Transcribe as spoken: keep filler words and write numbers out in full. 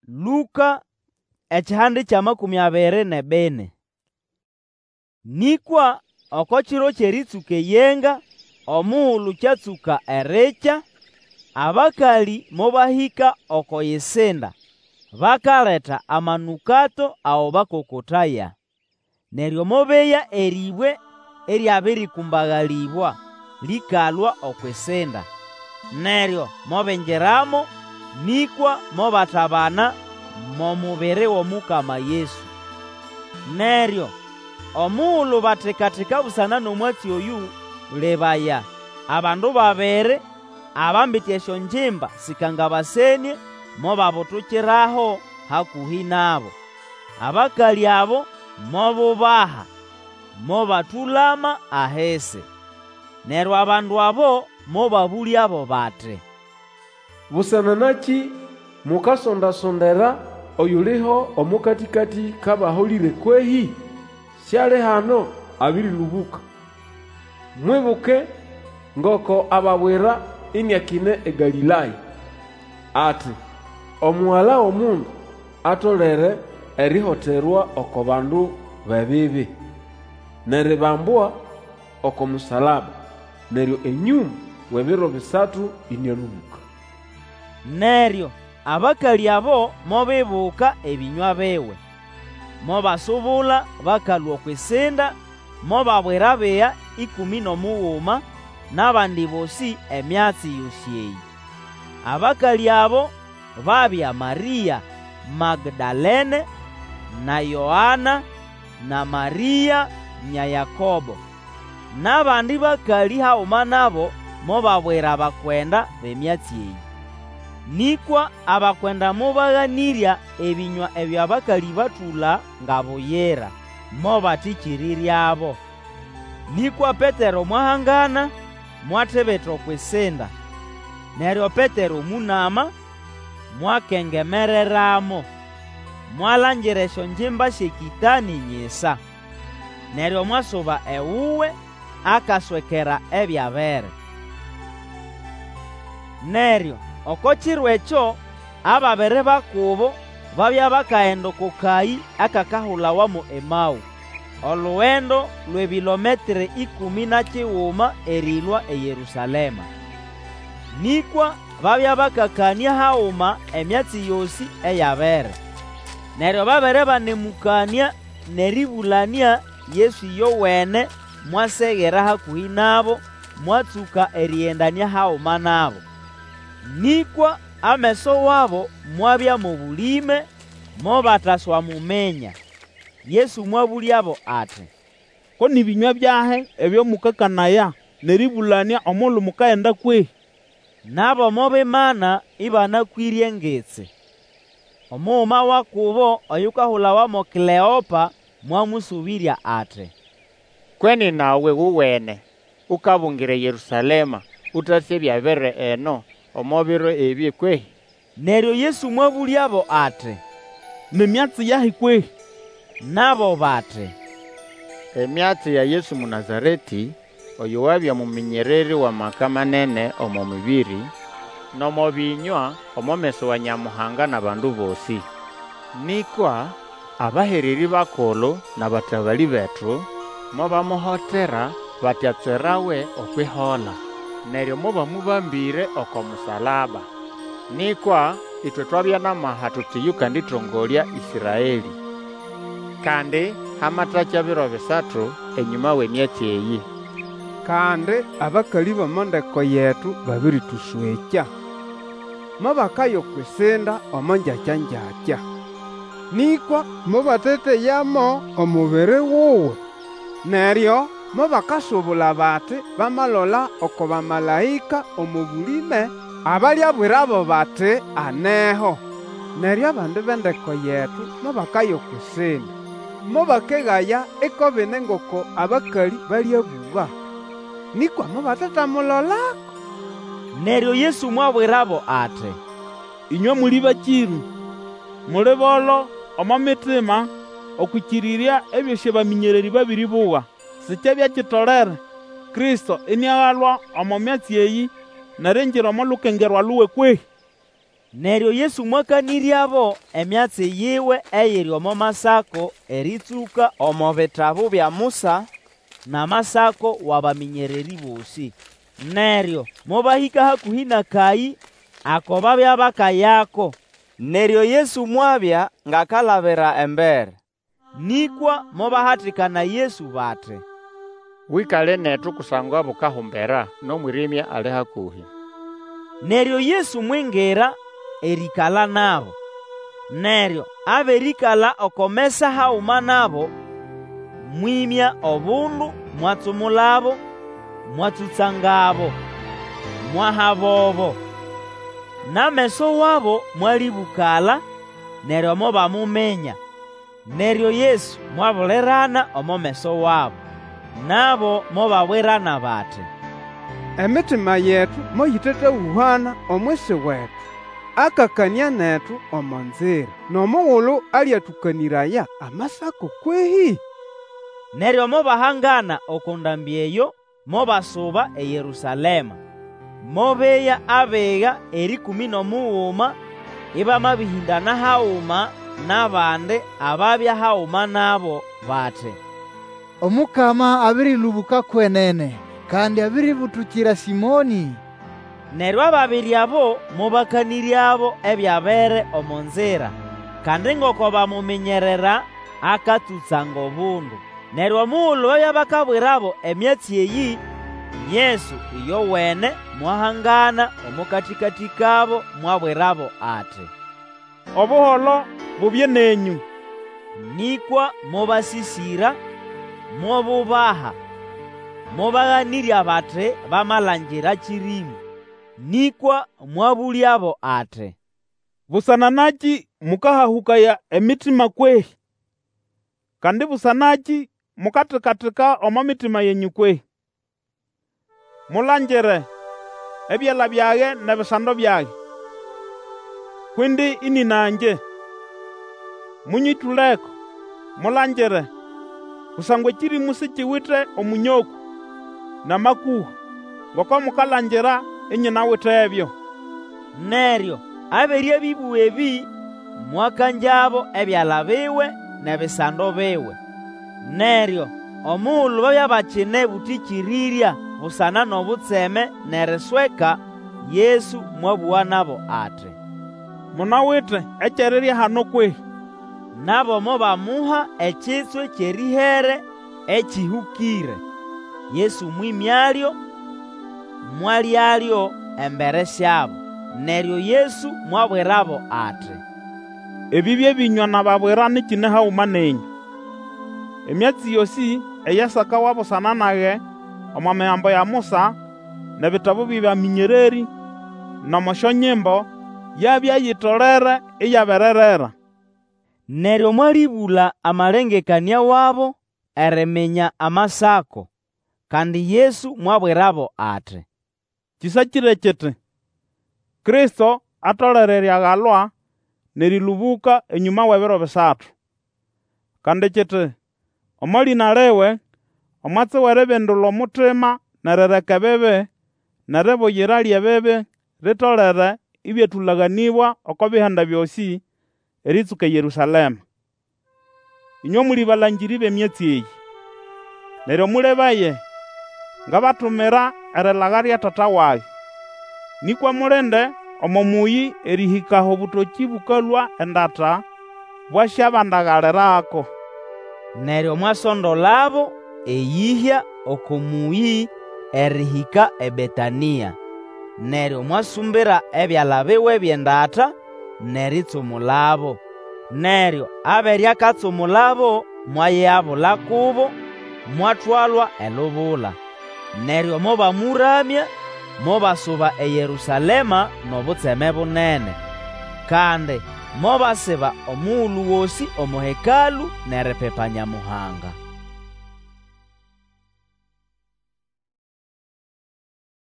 Lũka ekihande ky'amakũmĩ abiri n'ebini. Nĩkwa oko kiro ky'erĩtsũka eyenga, omugulu kyatsũka erikya, abakalĩ mobahĩka oko yisinda bakaleta amanũkato ago bakokotaya. Neryo mobeya erĩbwe eryabĩrĩkũmbagalĩbwa lĩkalũa okw'isinda. Neryo mobingiramo, nĩkwa mobatabana mo mubiri w'omukama Yesu. Neryo omugulu batika-tika busana n'omwatsi oyũ, lebaya, abandu babiri abambite esyongimba sĩkangabasenĩe mobabutukiraho hakũhĩ nabo. Abakalĩ abo mobubaha, mobatũlama ahisi. Neryo abandu abo mobabũlyabo bati, Busana nakĩ mukasonda-sondera oyuliho omo katĩkatĩ k'abaholĩre kwehĩ? Siali hano, abĩrĩlũbũka. Mwibuke ngoko ababwira iniakine eGalĩlaya, ati, Omugala w'Omundu atolere erihoterwa oko bandu b'ebibi, n'eribambwa oko musalaba, neryo enyũma w'ebiro bisatu ĩnĩalũbũka. Neryo abakalĩ abo mobibuka ebĩnywa biwe, mobasubula bakalũa okw'isinda mobabwira abiga ĩkũmĩ n'omuguma n'abandi bosĩ emyatsi yosĩ eyĩ. Abakalĩ abo babya Marĩa Magdalene, na Yoana, na Marĩa nya Yakobo. N'abandi bakalĩ haguma nabo mobabwira abakwenda b'emyatsi eyĩ. Nĩkwa abakwenda mobaganĩrya ebĩnywa ebyo abakalĩ batũla nga buyira, mobatĩkĩrĩryabo. Nĩkwa Petero mwahangana, mwatibita okw'isinda. Neryo Petero mũnama, mwakengemereramo, mwalangira esyongimba sy'ekĩtanĩ nyisa. Neryo mwasuba ewuwe akaswekera ebyabere. Neryo oko kiro ekyo ababiri ba kubo babya bakagenda oko kayĩ akakahulawa mo Emaũ, olugendo lw'ebilometre ĩkũmĩ na kiguma erĩlũa eYerũsalema. Nĩkwa babya bakakanĩa haguma emyatsi yosĩ eyabere. Neryo babere banemũkanĩa n'erĩbũlanĩa, Yesu ĩyowene mwasegera hakũhĩ nabo, mwatsũka erĩgendanĩa haguma nabo. Nĩkwa ameso wabo mwabya mo bũlĩme, mobataswamuminya. Yesu mwabũlyabo ati, Ko nĩ bĩnywa byahi ebyo mũkakanaya n'erĩbũlanĩa omugulu mukagenda kwehĩ? Nabo mobimana ĩbanakwĩre engitsi. Omuguma wa kubo oyukahulawa mo Kleopa mwamũsũbĩrya ati, Kwenene nawe gowene ukabungira eYerũsalema ũtasĩ ebyabere eno omo biro ebĩ kwehĩ? Neryo Yesu mwabũlyabo ati, Ni myatsi yahi kwehĩ? Nabo bati, Emyatsi ya Yesu Mũnazaretĩ, oyo wabya muminyererĩ w'amaka manene omo mĩbĩrĩ, n'omo bĩnywa omo meso wa Nyamuhanga n'abandu bosĩ. Nĩkwa abahererĩ bakulu n'abatabalĩ betu mobamuhotera bati atswerawe okw'ihola, neryo mobamũbambĩre oko musalaba. Nĩkwa ĩtwe twabya n'amaha tuti yũkandĩtongolya Ĩsraelĩ. Kandi hamatakya biro bisatu enyũma w'emyatsi eyĩ. Kandi abakalĩ b'omo ndeko yetu babĩrĩtũswekya. Mobakaya okw'isinda omo ngyakya-ngyakya, nĩkwa mobateteyamo omubiri wuwe. Neryo mobakasubula bati bamalola oko bamalaĩka omo bũlĩme abaliabwirabo bati aneho. Neryo abandi b'endeko yetu mobakaya okw'isinda, mobakegaya iko bine ngoko abakalĩ balĩabũga, nĩkwa mobatetamulolako. Neryo Yesu mwabwirabo ati, Ĩnywe muli bakĩrũ, muli bolo omo mitima okw'ĩkĩrĩrya ebyosĩ abamĩnyererĩ babĩrĩbũga! Sikyabya kitolere Kristo iniagalwa omo myatsi eyĩ, n'eriingira omo lukengerwa luwe kwehĩ? Neryo Yesu mwakanĩryabo emyatsi yiwe eyiri omo Masako erĩtsũka omo bitabu bya Musa n'Amasako w'abamĩnyererĩ bosĩ. Neryo mobahĩka hakũhĩ n'akayĩ ako babya bakayako, Neryo Yesu mwabya ng'akalabira embere. Nĩkwa mobahatikana Yesu bati, Wĩkale netu kusangwa bukahumbera, n'omwĩrĩmya ali hakũhĩ. Neryo Yesu mwingira erĩĩkala nabo. Neryo abere ĩkala oko mesa haguma nabo, mwĩmya obundu mwatsumulabo, mwatsũtsangabo, mwahabobo. N'ameso wabo mwalĩbũkala, neryo mobamuminya. Neryo Yesu mwabulirana omo meso wabo. Nabo mobabwirana bati, Emitima yetu moyĩtatahũhana omwisi wetu akakanĩa netu omo nzira, n'omugulu alĩatũkanĩraya Amasako kwehĩ? Neryo mobahangana oko ndambĩ eyo, mobasuba eYerũsalema. Mobeya abiga erĩkũmĩ n'omuguma ĩbamabĩhĩndana haguma n'abandi ababya haguma nabo bati, Omukama abĩrĩlũbũka kwenene, kandi abĩrĩbũtũkira Sĩmonĩ. Neryo ababiri abo mobakanĩryabo ebyabere omo nzira, kandi ngoko bamuminyerera akatsũtsanga obundu. Neryo omugulu babya bakabwirabo emyatsi eyĩ, Yesu ĩyowene mwahangana omo katĩkatĩ kabo mwabwirabo ati, Obuholo bubye nenyũ. Nĩkwa mobasĩsĩra, mobubaha, mobaganĩrya bati bamalangira kĩrĩmũ. Nĩkwa mwabũlyabo ati, Busana nakĩ mũkahahũkaya emitima kwehĩ? Kandi busanakĩ mukatika-tika omo mitima yenyũ kwehĩ? Mulangire ebyala byage n'ebisando byage, kw'indi ĩnĩna ngye. Mũnyĩtũleko, mulangire, kusangwa ekĩrĩmũ sikiwite omũnyokũ n'amakũha, ngoko mukalangira inyinawitebyo. Neryo abere abĩbũga ebĩ, mwakangyabo ebyala biwe n'ebisando biwe. Neryo omugulu babya bakine bũtĩkĩrĩrya busana n'obutseme n'erisweka, Yesu mwabũga nabo ati, Munawite eky'erirya hano kwehĩ? Nabo mobamuha ekitswe ky'erĩhere ekĩhũkĩre. Yesu mwĩmyalyo, mwalyalyo embere syabo. Neryo Yesu mwabwirabo ati, Ebĩ bye bĩnywa nababwira nyikine haguma nenyũ. Emyatsi yosĩ eyasakawa busana nage omo Migambo ya Musa, n'ebitabu by'abamĩnyererĩ, n'omo syonyimbo, yabya yitolere iyabererera. Neryo mwalĩbũla amalengekanĩa wabo eriminya Amasako. Kandi Yesu mwabwirabo ati, Kĩsakĩre kiti, Kristo atolere eriagalwa n'erĩlũbũka enyũma w'ebiro bisatu. Kandi kiti, omo lĩna liwe, omwatsi w'eribindula omutima n'erireka ebibi, n'eribuyira ly'ebibi litolere ĩbyatũlaganĩbwa oko Bihanda byosĩ, erĩtsũka eYerũsalema. Ĩnywe muli balangĩrĩ b'emyatsi eyĩ. Neryo mũlebaye, ngabatumira erilaga lya Tata wage. Nĩkwa mulinde omo mũyĩ erĩhĩka aho obũtokĩ bũkalũa endata bwasyabandagalirako. Neryo mwasondolabo eyĩhya oko mũyĩ erĩhĩka eBetanĩa. Neryo mwasumbira ebyala biwe by'endata n'eritsumulabo. Neryo abere akatsumulabo, mwayigabula kubo, mwatwalwa elubula. Neryo mobamũramya, mobasuba eYerũsalema n'obutseme bunene. Kandi mobasiba omugulu gosĩ omo Hekalũ n'eripipa Nyamuhanga.